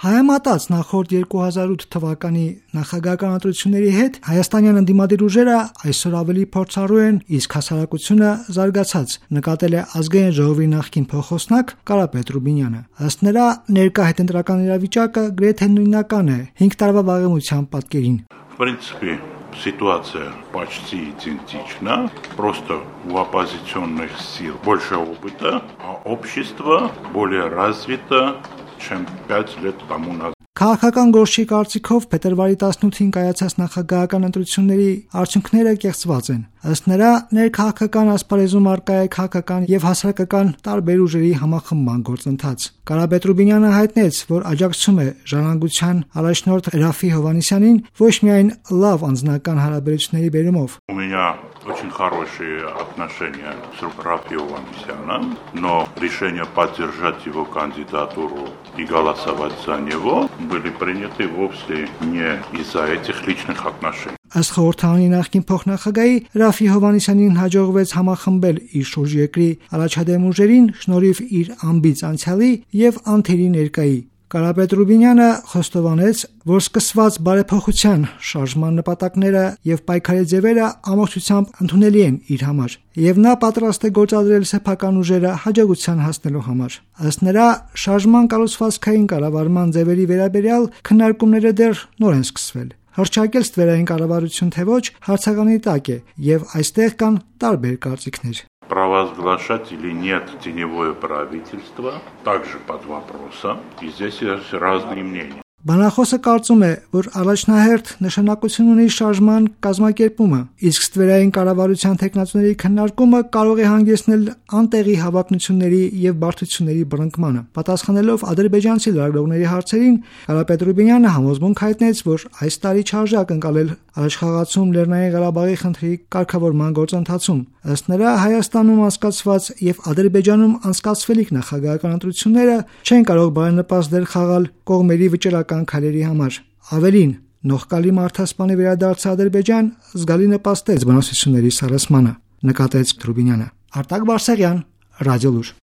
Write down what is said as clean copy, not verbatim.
Հայամատած նախորդ 2008 թվականի նախագահական ընտրությունների հետ հայաստանյան ընդդիմադիր ուժերը այսօր ավելի փորձառու են, իսկ հասարակությունը զարգացած, նկատել է Ազգային ժողովի նախկին փոխոսնակ Կարապետ Ռուբինյանը։ Ըստ նրա, ներկա հետընտրական իրավիճակը գրեթե նույնական է 5 տարվա վաղեմության պատկերին։ В принципе, ситуация почти идентична, просто у оппозиционных сил больше опыта, а общество более развито, чем 5 лет тому назад. Քաղաքական գործի կարծիքով փետրվարի 18-ին կայացած նախագահական ընտրությունների արդյունքները կեղծված են։ Ըստ նրա, ներքաղաքական ասպարեզում առկա է քաղաքական եւ հասարակական տարբեր ուժերի համախմբման գործընթաց։ Կարապետ Ռուբինյանը հայտնեց, որ աջակցում է ժառանգության առաջնորդ Րաֆֆի Հովհաննիսյանին ոչ միայն լավ անձնական հարաբերությունների բերումով։ У меня очень хорошие отношения с Рафи Хованнисяном, но решение поддержать его кандидатуру и голосовать за него были приняты вовсе не из-за этих личных отношений. Ըստ խորհրդարանի նախկին փոխնախագահի Րաֆֆի Հովհաննիսյանին հաջողվեց համախմբել իր շուրջ երկրի առաջադեմ ուժերին շնորհիվ իր ամբից անցյալի եւ անթերի ներկայի։ Կարապետ Ռուբինյանը խոստովանեց, որ սկսված բարեփոխության շարժման նպատակները եւ պայքարի ձևերը ամբողջությամբ ընդունելի են իր համար, եւ նա պատրաստ է գործադրել սեփական ուժերը հաջողության հասնելու համար։ Ըստ նրա, շարժման կառուցվածքային կառավարման ձևերի վերաբերյալ քննարկումները дեր նոր են սկսվել։ Հռչակել ստվերային կառավարություն թե ոչ հարցականի տակ է եւ այստեղ կան տարբեր կարծիքներ։ Провозглашать или нет теневое правительство также под вопросом, и здесь есть разные мнения. Բանախոսը կարծում է, որ առաջնահերթ նշանակություն ունի շարժման կազմակերպումը, իսկ ստվերային կառավարության տեխնացուների քննարկումը կարող է հանգեցնել անտեղի հավակնությունների եւ բարդությունների բռնկմանը։ Պատասխանելով ադրբեջանցի լրագրողների հարցերին, Կարապետ Ռուբինյանը համոզմունք հայտնեց, որ այս տարի չարժակ ընկալել Արցախում Լեռնային Ղարաբաղի խնդրի կարգավորման գործընթացում։ Ըստ նրա, Հայաստանում անցկացված եւ Ադրբեջանում անցկացվելիք նախագահական ընտրությունները չեն կարող բարենպաստ դեր խաղալ կողմերի վճռական քայլերի համար։ Ավելին, նողկալի մարդասպանի վերադարձը Ադրբեջան զգալի նպաստեց բանակցությունների սառեցմանը, նկատեց Ռուբինյանը։ Արտակ Բարսեղյան, Ռադիոլուր։